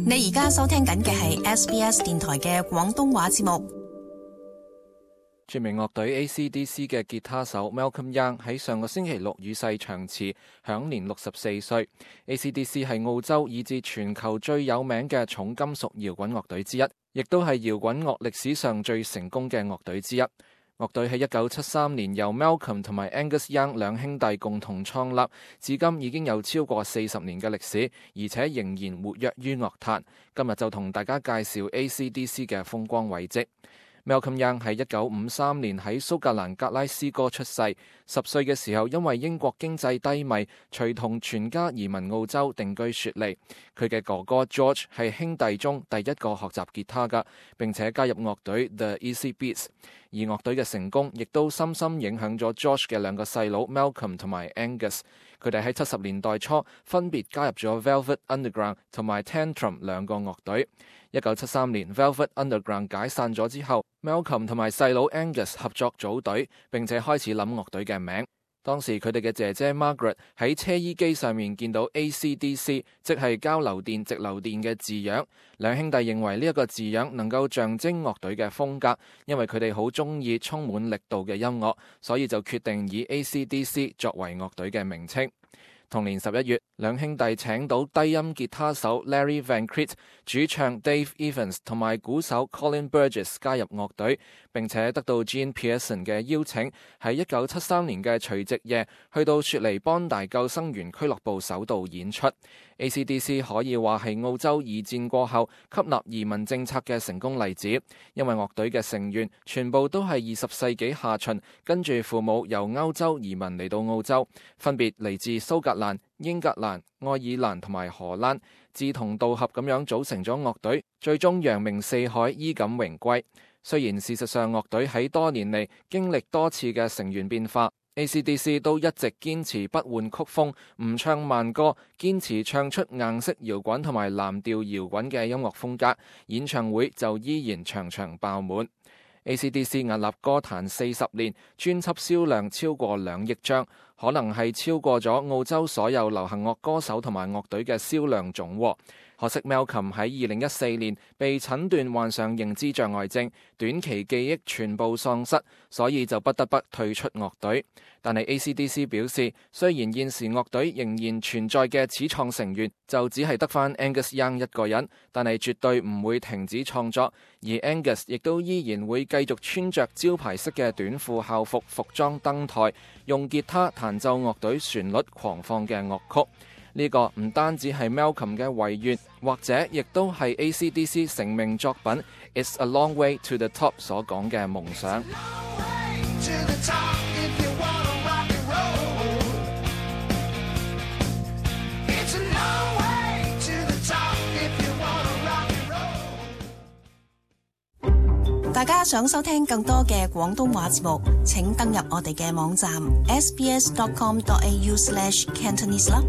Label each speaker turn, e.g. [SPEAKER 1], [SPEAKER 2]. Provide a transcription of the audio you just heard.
[SPEAKER 1] 你而家收聽緊嘅係 SBS 電台嘅廣東話節目。
[SPEAKER 2] 著名樂隊 AC/DC 嘅吉他手 Malcolm Young 喺上個星期六與世長辭，享年64歲。AC/DC 係澳洲以至全球最有名嘅重金屬搖滾樂隊之一，亦都係搖滾樂歷史上最成功嘅樂隊之一。樂隊喺1973年由 Malcolm 同埋 Angus Young 兩兄弟共同創立，至今已經有超過40年嘅歷史，而且仍然活躍於樂壇。今日就同大家介紹 AC/DC 嘅風光偉績。Malcolm Young 喺1953年喺蘇格蘭格拉斯哥出世，10歲嘅時候因為英國經濟低迷，隨同全家移民澳洲定居雪梨。佢嘅哥哥 George 係兄弟中第一個學習吉他㗎，並且加入樂隊 The Easy Beats。而樂隊嘅成功亦都深深影響咗 George 嘅兩個細佬 Malcolm 同埋 Angus。佢哋喺70年代初分別加入咗 Velvet Underground 同埋 Tantrum 兩個樂隊。1973年 Velvet Underground 解散咗之後， Malcolm 同埋細佬 Angus 合作組隊，並且開始諗樂隊嘅名。當時佢哋嘅姐姐 Margaret 喺車衣機上面見到 AC/DC， 即係交流電直流電嘅字樣。兩兄弟認為呢一個字樣能夠象徵樂隊嘅風格，因為佢哋好中意充滿力度嘅音樂，所以就決定以 AC/DC 作為樂隊嘅名稱。同年11月，兩兄弟請到低音吉他手 Larry Van Crete、主唱 Dave Evans 同埋鼓手 Colin Burgess 加入樂隊，並且得到 Gene Pearson 嘅邀請，喺1973年嘅除夕夜去到雪梨邦大救生員俱樂部首度演出。AC/DC 可以話係澳洲二戰過後吸納移民政策嘅成功例子，因為樂隊嘅成員全部都係20世紀下旬跟住父母由歐洲移民嚟到澳洲，分別嚟自蘇格蘭、英格蘭、愛爾蘭同埋荷蘭，志同道合咁樣組成咗樂隊，最終揚名四海，衣錦榮歸。雖然事實上樂隊喺多年嚟經歷多次嘅成員變化， AC/DC 都一直堅持不換曲風，唔唱慢歌，堅持唱出硬式搖滾同埋藍調搖滾嘅音樂風格，演唱會就依然場場爆滿。AC/DC 屹立歌壇40年，專輯銷量超過2億張，可能係超過咗澳洲所有流行樂歌手同埋樂隊嘅銷量總和。可惜 Malcolm 喺2014年被診斷患上認知障礙症，短期記憶全部喪失，所以就不得不退出樂隊。但係 AC/DC 表示，雖然現時樂隊仍然存在嘅始創成員就只係得返 Angus Young 一個人，但係絕對唔會停止創作，而 Angus 亦都依然會繼續穿着招牌式嘅短褲校服服裝登台，用吉他彈奏樂隊旋律狂放嘅樂曲。呢個唔單止係 Malcolm 嘅遺願，或者亦都係 AC/DC 成名作品 It's a Long Way to the Top 所講嘅夢想。
[SPEAKER 1] 大家想收聽更多嘅廣東話節目，請登入我哋嘅網站 sbs.com.au/cantonese 啦。